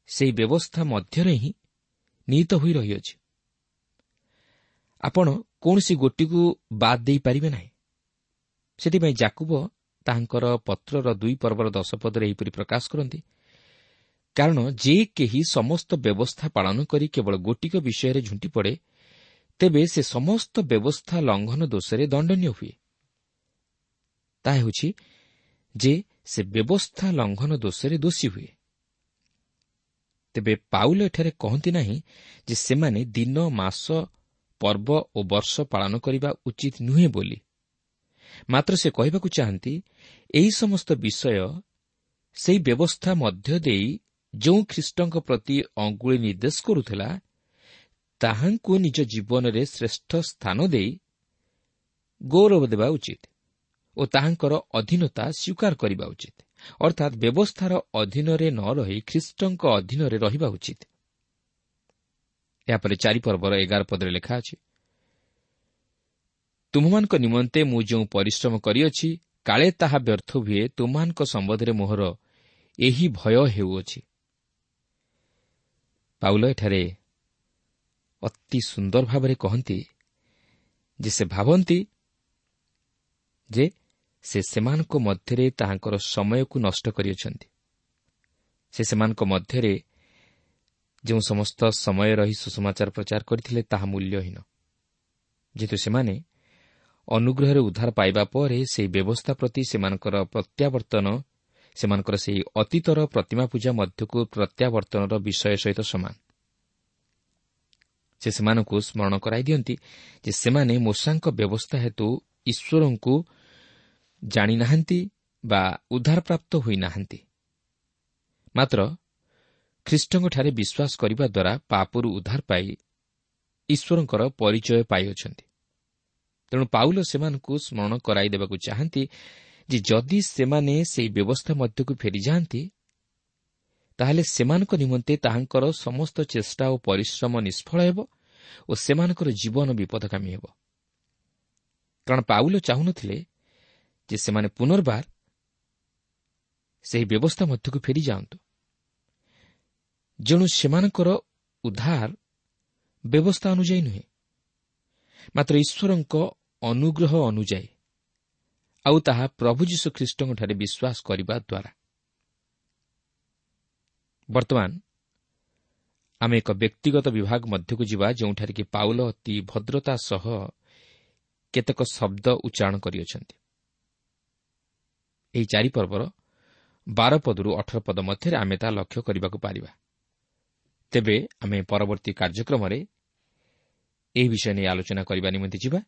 ସେହି ବ୍ୟବସ୍ଥା ମଧ୍ୟରେ ହିଁ ନିହିତ ହୋଇ ରହିଅଛି। ଆପଣ କୌଣସି ଗୋଟିକୁ ବାଦ୍ ଦେଇପାରିବେ ନାହିଁ। ସେଥିପାଇଁ ଯାକୁବ ତାହାଙ୍କର ପତ୍ରର 2 ପର୍ବର 10 ପଦରେ ଏହିପରି ପ୍ରକାଶ କରନ୍ତି, କାରଣ ଯେ କେହି ସମସ୍ତ ବ୍ୟବସ୍ଥା ପାଳନ କରି କେବଳ ଗୋଟିକ ବିଷୟରେ ଝୁଣ୍ଟି ପଡ଼େ, ତେବେ ସେ ସମସ୍ତ ବ୍ୟବସ୍ଥା ଲଙ୍ଘନ ଦୋଷରେ ଦଣ୍ଡନୀୟ ହୁଏ। ତାହା ହେଉଛି ଯେ ସେ ବ୍ୟବସ୍ଥା ଲଙ୍ଘନ ଦୋଷରେ ଦୋଷୀ ହୁଏ। ତେବେ ପାଉଲ ଏଠାରେ କହନ୍ତି ନାହିଁ ଯେ ସେମାନେ ଦିନ, ମାସ, ପର୍ବ ଓ ବର୍ଷ ପାଳନ କରିବା ଉଚିତ ନୁହେଁ ବୋଲି, ମାତ୍ର ସେ କହିବାକୁ ଚାହାନ୍ତି ଏହି ସମସ୍ତ ବିଷୟ ସେହି ବ୍ୟବସ୍ଥା ମଧ୍ୟ ଦେଇ ଯେଉଁ ଖ୍ରୀଷ୍ଟଙ୍କ ପ୍ରତି ଅଙ୍ଗୁଳି ନିର୍ଦ୍ଦେଶ କରୁଥିଲା, ତାହାଙ୍କୁ ନିଜ ଜୀବନରେ ଶ୍ରେଷ୍ଠ ସ୍ଥାନ ଦେଇ ଗୌରବ ଦେବା ଉଚିତ ଓ ତାହାଙ୍କର ଅଧୀନତା ସ୍ୱୀକାର କରିବା ଉଚିତ। ଅର୍ଥାତ୍ ବ୍ୟବସ୍ଥାର ଅଧୀନରେ ନ ରହି ଖ୍ରୀଷ୍ଟଙ୍କ ଅଧୀନରେ ରହିବା ଉଚିତ। ଏହାପରେ 4 ପର୍ବର 11 ପଦରେ ଲେଖା ଅଛି, ତୁମ୍ଭମାନଙ୍କ ନିମନ୍ତେ ମୁଁ ଯେଉଁ ପରିଶ୍ରମ କରିଅଛି, କାଳେ ତାହା ବ୍ୟର୍ଥ ହୁଏ, ତୁମ୍ଭମାନଙ୍କ ସମ୍ବନ୍ଧରେ ମୋହର ଏହି ଭୟ ହେଉଅଛି। ପାଉଲ ଏଠାରେ ଅତି ସୁନ୍ଦର ଭାବରେ କହନ୍ତି ଯେ ସେ ଭାବନ୍ତି ଯେ ସେ ସେମାନଙ୍କ ମଧ୍ୟରେ ତାହାଙ୍କର ସମୟକୁ ନଷ୍ଟ କରିଅଛନ୍ତି। ସେ ସେମାନଙ୍କ ମଧ୍ୟରେ ଯେଉଁ ସମସ୍ତ ସମୟ ରହି ସୁସମାଚାର ପ୍ରଚାର କରିଥିଲେ ତାହା ମୂଲ୍ୟହୀନ, ଯେହେତୁ ସେମାନେ ଅନୁଗ୍ରହରେ ଉଦ୍ଧାର ପାଇବା ପରେ ସେହି ବ୍ୟବସ୍ଥା ପ୍ରତି ସେମାନଙ୍କର ପ୍ରତ୍ୟାବର୍ତ୍ତନ ସେମାନଙ୍କର ସେହି ଅତୀତର ପ୍ରତିମା ପୂଜା ମଧ୍ୟକୁ ପ୍ରତ୍ୟାବର୍ତ୍ତନର ବିଷୟ ସହିତ ସମାନ। ସେ ସେମାନଙ୍କୁ ସ୍ମରଣ କରାଇ ଦିଅନ୍ତି ଯେ ସେମାନେ ମୋଶାଙ୍କ ବ୍ୟବସ୍ଥା ହେତୁ ଈଶ୍ୱରଙ୍କୁ ଜାଣିନାହାନ୍ତି ବା ଉଦ୍ଧାରପ୍ରାପ୍ତ ହୋଇନାହାନ୍ତି, ମାତ୍ର ଖ୍ରୀଷ୍ଟଙ୍କଠାରେ ବିଶ୍ୱାସ କରିବା ଦ୍ୱାରା ପାପରୁ ଉଦ୍ଧାର ପାଇ ଈଶ୍ୱରଙ୍କର ପରିଚୟ ପାଇଅଛନ୍ତି। ତେଣୁ ପାଉଲ ସେମାନଙ୍କୁ ସ୍ମରଣ କରାଇ ଦେବାକୁ ଚାହାନ୍ତି ଯେ ଯଦି ସେମାନେ ସେହି ବ୍ୟବସ୍ଥା ମଧ୍ୟକୁ ଫେରିଯାଆନ୍ତି, ତାହେଲେ ସେମାନଙ୍କ ନିମନ୍ତେ ତାହାଙ୍କର ସମସ୍ତ ଚେଷ୍ଟା ଓ ପରିଶ୍ରମ ନିଷ୍ଫଳ ହେବ ଓ ସେମାନଙ୍କର ଜୀବନ ବିପଦଗାମୀ ହେବ। କାରଣ ପାଉଲ ଚାହୁଁନଥିଲେ ଯେ ସେମାନେ ପୁନର୍ବାର ସେହି ବ୍ୟବସ୍ଥା ମଧ୍ୟକୁ ଫେରିଯାଆନ୍ତୁ। ଯେଣୁ ସେମାନଙ୍କର ଉଦ୍ଧାର ବ୍ୟବସ୍ଥା ଅନୁଯାୟୀ ନୁହେଁ, ମାତ୍ର ଈଶ୍ୱରଙ୍କ ଅନୁଗ୍ରହ ଅନୁଯାୟୀ, ଆଉ ତାହା ପ୍ରଭୁ ଯୀଶୁଖ୍ରୀଷ୍ଟଙ୍କଠାରେ ବିଶ୍ୱାସ କରିବା ଦ୍ୱାରା। ବର୍ତ୍ତମାନ ଆମେ ଏକ ବ୍ୟକ୍ତିଗତ ବିଭାଗ ମଧ୍ୟକୁ ଯିବା, ଯେଉଁଠାରେ କି ପାଉଲ ଅତି ଭଦ୍ରତା ସହ କେତେକ ଶବ୍ଦ ଉଚ୍ଚାରଣ କରିଅଛନ୍ତି। ଏହି 4 ପର୍ବର 12 ପଦରୁ 18 ପଦ ମଧ୍ୟରେ ଆମେ ତାହା ଲକ୍ଷ୍ୟ କରିବାକୁ ପାରିବା। ତେବେ ଆମେ ପରବର୍ତ୍ତୀ କାର୍ଯ୍ୟକ୍ରମରେ ଏହି ବିଷୟ ନେଇ ଆଲୋଚନା କରିବା ନିମନ୍ତେ ଯିବା।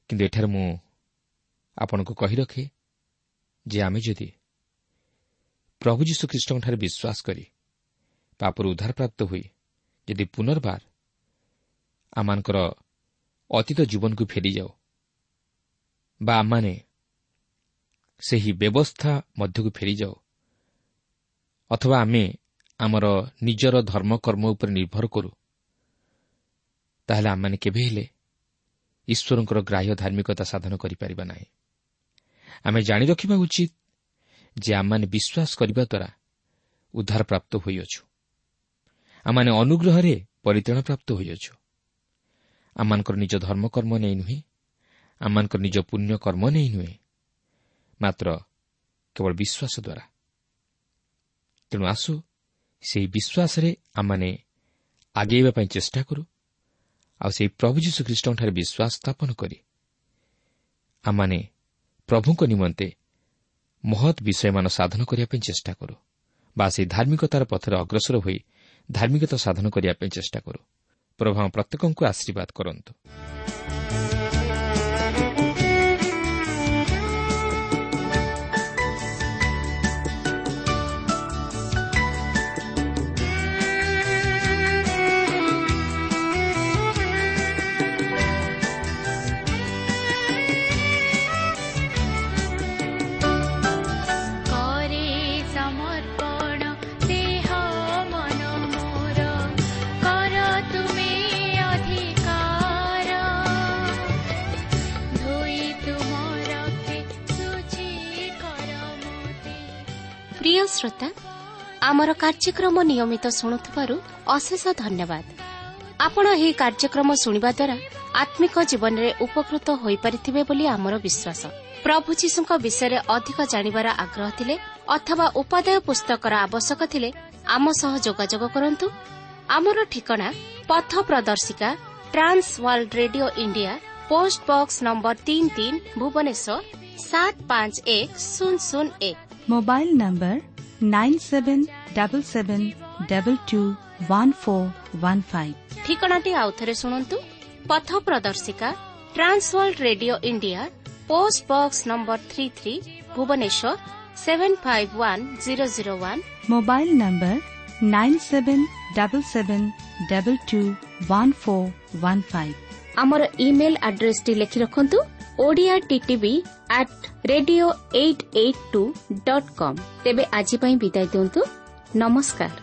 କିନ୍ତୁ ଏଠାରେ ମୁଁ ଆପଣଙ୍କୁ କହି ରଖେ ଯେ ଆମେ ଯଦି ପ୍ରଭୁ ଯୀଶୁଖ୍ରୀଷ୍ଟଙ୍କଠାରେ ବିଶ୍ୱାସ କରି ପାପରୁ ଉଦ୍ଧାରପ୍ରାପ୍ତ ହୋଇ ଯଦି ପୁନର୍ବାର ଆମମାନଙ୍କର ଅତୀତ ଜୀବନକୁ ଫେରିଯାଉ ବା ଆମମାନେ ସେହି ବ୍ୟବସ୍ଥା ମଧ୍ୟକୁ ଫେରିଯାଉ, ଅଥବା ଆମେ ଆମର ନିଜର ଧର୍ମକର୍ମ ଉପରେ ନିର୍ଭର କରୁ, ତାହେଲେ ଆମମାନେ କେବେ ହେଲେ ଈଶ୍ୱରଙ୍କର ଗ୍ରାହ୍ୟ ଧାର୍ମିକତା ସାଧନ କରିପାରିବା ନାହିଁ। ଆମେ ଜାଣି ରଖିବା ଉଚିତ ଯେ ଆମମାନେ ବିଶ୍ୱାସ କରିବା ଦ୍ୱାରା ଉଦ୍ଧାରପ୍ରାପ୍ତ ହୋଇଅଛୁ, ଆମମାନେ ଅନୁଗ୍ରହରେ ପରିତ୍ରାଣପ୍ରାପ୍ତ ହୋଇଅଛୁ। ଆମମାନଙ୍କର ନିଜ ଧର୍ମକର୍ମ ନେଇ ନୁହେଁ, ଆମମାନଙ୍କର ନିଜ ପୁଣ୍ୟକର୍ମ ନେଇ ନୁହେଁ, ମାତ୍ର କେବଳ ବିଶ୍ୱାସ ଦ୍ୱାରା। ତେଣୁ ଆସୁ ସେହି ବିଶ୍ୱାସରେ ଆମମାନେ ଆଗେଇବା ପାଇଁ ଚେଷ୍ଟା କରୁ, ଆଉ ସେହି ପ୍ରଭୁ ଯୀଶୁଖ୍ରୀଷ୍ଟଙ୍କଠାରେ ବିଶ୍ୱାସ ସ୍ଥାପନ କରି ଆମମାନେ ପ୍ରଭୁଙ୍କ ନିମନ୍ତେ ମହତ୍ ବିଷୟମାନ ସାଧନ କରିବା ପାଇଁ ଚେଷ୍ଟା କରୁ, ବା ସେହି ଧାର୍ମିକତାର ପଥରେ ଅଗ୍ରସର ହୋଇ ଧାର୍ମିକତା ସାଧନ କରିବା ପାଇଁ ଚେଷ୍ଟା କରୁ। ପ୍ରଭୁ ଆମ ପ୍ରତ୍ୟେକଙ୍କୁ ଆଶୀର୍ବାଦ କରନ୍ତୁ। ପ୍ରିୟ ଶ୍ରୋତା, ଆମର କାର୍ଯ୍ୟକ୍ରମ ନିୟମିତ ଶୁଣୁଥିବାରୁ ଅଶେଷ ଧନ୍ୟବାଦ। ଆପଣ ଏହି କାର୍ଯ୍ୟକ୍ରମ ଶୁଣିବା ଦ୍ୱାରା ଆତ୍ମିକ ଜୀବନରେ ଉପକୃତ ହୋଇପାରିଥିବେ ବୋଲି ଆମର ବିଶ୍ୱାସ। ପ୍ରଭୁ ଯୀଶୁଙ୍କ ବିଷୟରେ ଅଧିକ ଜାଣିବାର ଆଗ୍ରହ ଥିଲେ ଅଥବା ଉପାଦେୟ ପୁସ୍ତକର ଆବଶ୍ୟକ ଥିଲେ ଆମ ସହ ଯୋଗାଯୋଗ କରନ୍ତୁ। ଆମର ଠିକଣା ପଥ ପ୍ରଦର୍ଶିକା, Trans World Radio India, post box number 33, Bhubaneswar 751001। Mobile number 9777221415। ଠିକଣାଟି ଆଉଥରେ ଶୁଣନ୍ତୁ। ପଥ ପ୍ରଦର୍ଶିକା, Trans World Radio India, post box number 33, Bhubaneswar 751001। Mobile number 9777221415। ଆମର ଇମେଲ୍ ଆଡ୍ରେସଟି ଲେଖି ରଖନ୍ତୁ: Odia TTV at radio 882.com। ତେବେ ଆଜି ପାଇଁ ବିଦାୟ ଦିଅନ୍ତୁ। ନମସ୍କାର।